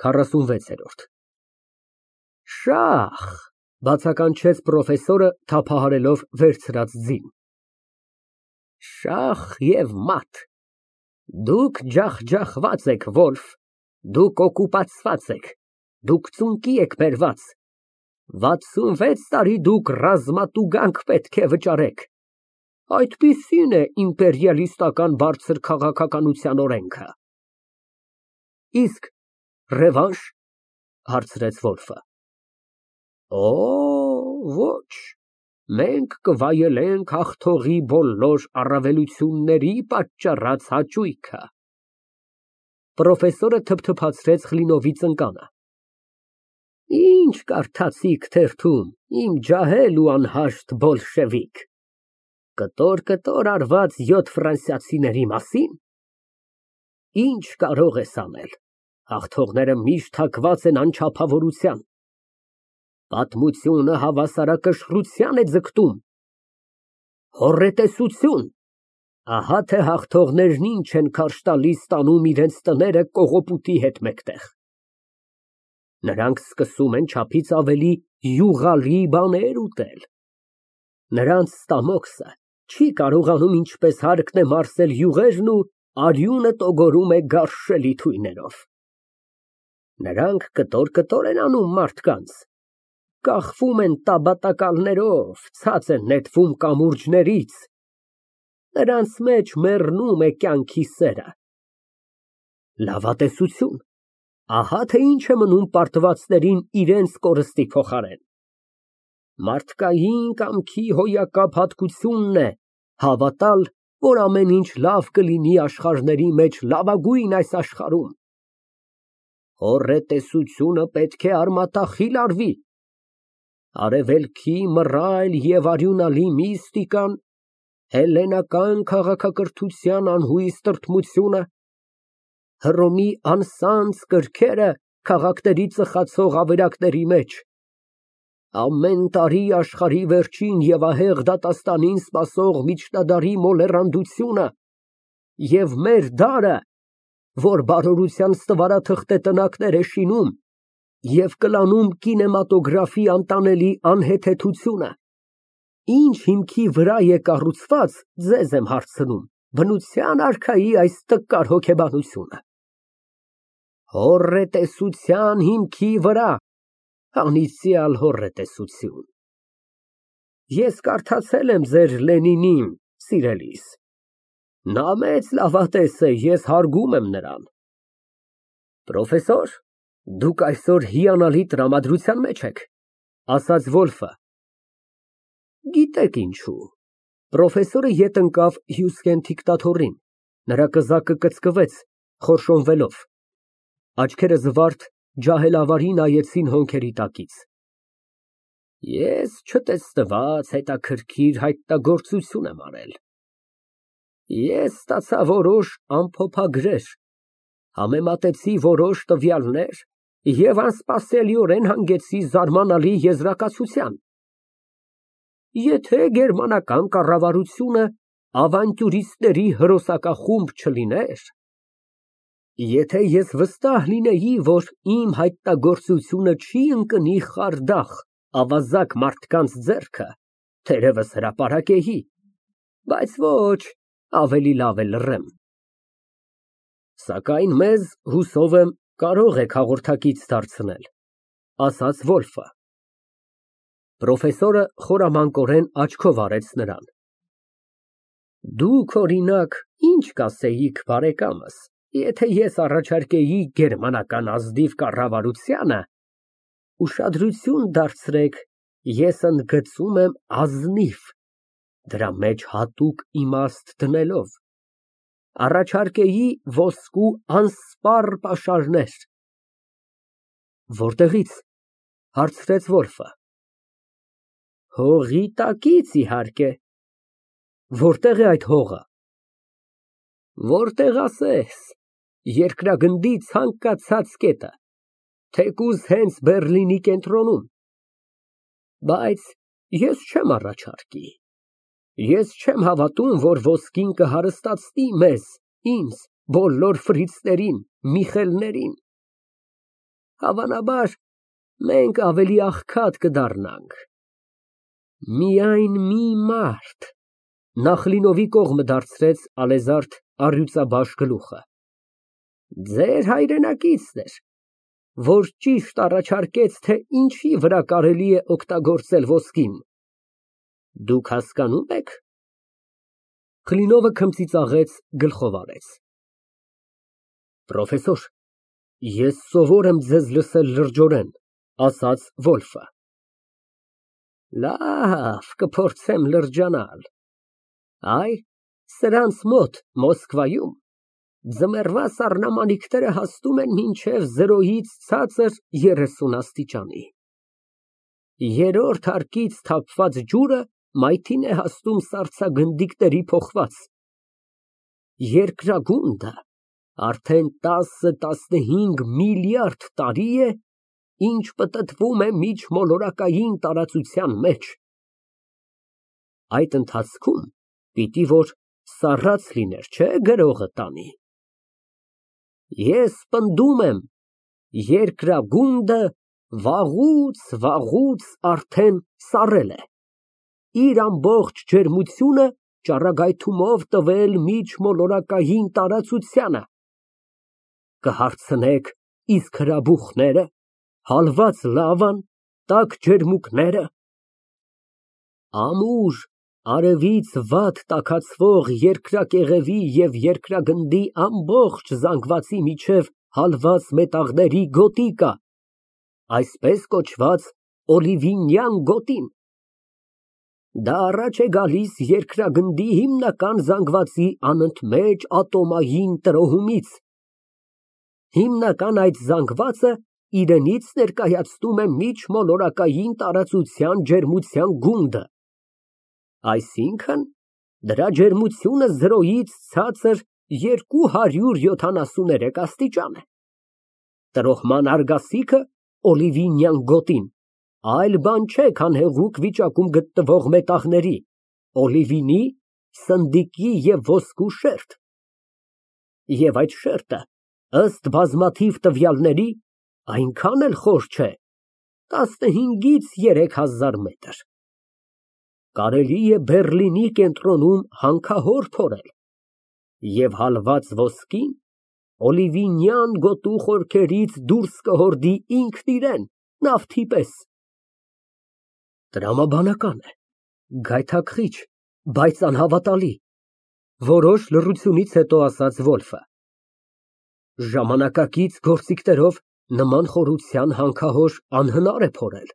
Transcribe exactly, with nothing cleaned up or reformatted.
քառասունվեցերորդ Շախ, բացականչեց պրոֆեսորը թափահարելով վերցրած ձին։ Շախ և մատ, դուք ջախջախված եք, Վոլֆ, դուք օկուպացված եք, դուք ծունկի եք բերված, վաթսունվեց տարի դուք ռազմատուգանք պետք է վճարեք, այդպիսին է իմպերիալիստական բարձր քաղաքականության օրենքը։ Իսկ ռևանշ, հարցրեց Վոլֆը։ Օ, ոչ, մենք կվայելենք հաղթողի բոլոր առավելությունների պատճառած հաճույքը։ Պրոֆեսորը թփթփացրեց Կլինովի ծնկանը։ Ինչ կարդացիք թերթում, իմ ջահել ու անհաշտ բոլշևիկ, կտոր֊կտոր արված յոթ ֆրանսիացիների մասի՞ն։ Ինչ կարող ես անել, հաղթողները միշտ հակված են անչափավորության, պատմությունը հավասարակշռության է ձգտում, հոռետեսություն, ահա թե հաղթողներն ինչ են քարշ տալիս տանում իրենց տները կողոպուտի հետ մեկտեղ։ Նրանք սկսում են չափից ավելի յուղալի բաներ ուտել, նրանց ստամոքսը չի կարողանում ինչպես հարկն է մարսել յուղերն ու արյունը տոգորում է գարշելի թույներով։ Նրանք կտոր֊կտոր են անում մարդկանց, կախվում են տաբատակալներով, ցած են նետվում կամուրջներից, նրանց մեջ մեռնում է կյանքի սերը։ Լավատեսություն, ահա թե ինչ է մնում պարտվածներին իրենց կորստի փոխարեն։ Մարդկային կամքի հոյակապ հատկությունն է հավատալ, որ ամեն ինչ լավ կլինի աշխարհների մեջ լավագույն այս աշխարհում։ Հոռետեսությունը պետք է արմատախիլ արվի։ Արևելքի մռայլ և արյունալի միստիկան, հելլենական քաղաքակրթության անհույս տրտմությունը, Հռոմի անսանձ կրքերը քաղաքների ծխացող ավերակների մեջ, ամեն տարի աշխարհի վերջին և ահեղ դատաստանին սպասող միջնադարի մոլեռանդությունը և մեր դարը, որ բարօրության ստվարաթղթե տնակներ է շինում և կլանում կինեմատոգրաֆի անտանելի անհեթեթությունը, ինչ հիմքի վրա է կառուցված, ձեզ եմ հարցնում, բնության արքայի այս տկար հոգեբանությունը։ Հոռետեսության հիմքի վրա, անիծյալ հոռետեսություն։ Ես կարդացել եմ ձեր Լենինին, սիրելիս, նա մեծ լավատես է, ես հարգում եմ նրան։ Պրոֆեսոր, դուք այսօր հիանալի տրամադրության մեջ եք, ասաց Վոլֆը։ Գիտեք ինչու։ Պրոֆեսորը ետ ընկավ Հյուսկեն դիկտատորին, նրա կզակը կծկվեց, խորշոմվելով, աչքերը զվարթ, ջահելավարի նայեցին հոնքերի տակից։ Ես չտեսնված հետաքրքիր հայտնագործություն եմ արել։ Ես ստացա որոշ ամփոփագրեր, համեմատեցի որոշ տվյալներ և անսպասելիորեն հանգեցի զարմանալի եզրակացության։ Եթե գերմանական կառավարությունը ավանտյուրիստների հրոսակախումբ չլիներ, եթե ես վստահ լինեի, որ իմ հայտնագործությունը չի ընկնի խարդախ, ավազակ մարդկանց ձեռքը, թերևս հրապարակեի, բայց ոչ, ավելի լավ է լռեմ։ Սակայն մեզ, հուսով եմ, կարող եք հաղորդակից դարձնել, ասաց Վոլֆը։ Պրոֆեսորը խորամանկորեն աչքով արեց նրան։ Դուք, օրինակ, ինչ կասեիք բարեկամս, եթե ես առաջարկեի գերմանական ազնիվ կառավարությանը, ուշադրություն դարձրեք, ես ընդգծում եմ ազնիվ, դրա մեջ հատուկ իմաստ դնելով, առաջարկեի ոսկու անսպառ պաշարներ։ Որտեղի՞ց, հարցրեց Վոլֆը։ Հողի տակից, իհարկե։ Որտեղ է այդ հողը։ Որտեղ ասես, երկրագնդի ցանկացած կետը, թեկուզ հենց Բեռլինի կենտրոնում։ Բայց ես չեմ առաջարկի, ես չեմ հավատում, որ ոսկին կհարստացնի մեզ, ինձ, բոլոր ֆրիցներին, Միխելներին։ Հավանաբար մենք ավելի աղքատ կդառնանք։ Միայն մի մարդ… Նախլինովի կողմը դարձրեց ալեզարդ առյուծաբաշ գլուխը։ Ձեր հայրենակիցն էր, որ ճիշտ առաջարկեց, թե ինչի վրա կարելի է օգտագործել ոսկին։ Դուք հասկանո՞ւմ եք։ Կլինովը քմծիծաղեց, գլխով արեց։ Պրոֆեսոր, ես սովոր եմ ձեզ լսել լրջորեն, ասաց Վոլֆը։ Լավ, կփորձեմ լրջանալ։ Այ, սրանց մոտ Մոսկվայում ձմեռվա սառնամանիքները հասնում են մինչև զրոյից ցածր երեսուն աստիճանի։ Երրորդ հարկից թափված ջուրը մայթին է հասնում սառցագնդիկների փոխված։ Երկրագունդը արդեն տասը֊տասնհինգ միլիարդ տարի է, ինչ պտտվում է միջմոլորակային տարածության մեջ։ Այդ ընթացքում պիտի որ սառած լիներ, չէ՞, գրողը տանի։ Ես պնդում եմ, երկրագունդը վաղուց, վաղուց արդեն սառել է, իր ամբողջ ջերմությունը ճառագայթումով տվել միջմոլորակային տարածությանը։ Կհարցնեք, իսկ հրաբուխնե՞րը, հալված լավան, տաք ջերմուկնե՞րը։ Ամուր, արևից վատ տաքացվող երկրակեղևի և երկրագնդի ամբողջ զանգվածի միջև հալված մետաղների գոտի կա, այսպես կոչված օլիվինյան գոտին։ Դա առաջ է գալիս երկրագնդի հիմնական զանգվածի անընդմեջ ատոմային տրոհումից։ Հիմնական այդ զանգվածը իրենից ներկայացնում է միջմոլորակային տարածության ջերմության գունդը, այսինքն՝ դրա ջերմությունը զրոյից ցածր երկու հարյուր յոթանասուներեք աստիճան է։ Տրոհման արգասիքը օլիվինյան գոտին այլ բան չէ, քան հեղուկ վիճակում գտնվող մետաղների, օլիվինի, սնդիկի և ոսկու շերտ։ Եվ այդ շերտը, ըստ բազմաթիվ տվյալների, այնքան էլ խոր չէ, տասնհինգից երեք հազար մետր։ Կարելի է Բեռլինի կենտրոնում հանքահոր փորել և հալված ոսկին օլիվինյան գոտու խորքերից դուրս կհորդի ինքն իրեն, նավթի պես։ Տրամաբանական է, գայթակղիչ, բայց անհավատալի, որոշ լռությունից հետո ասաց Վոլֆը։ Ժամանակակից գործիքներով նման խորության հանքահոր անհնար է փորել։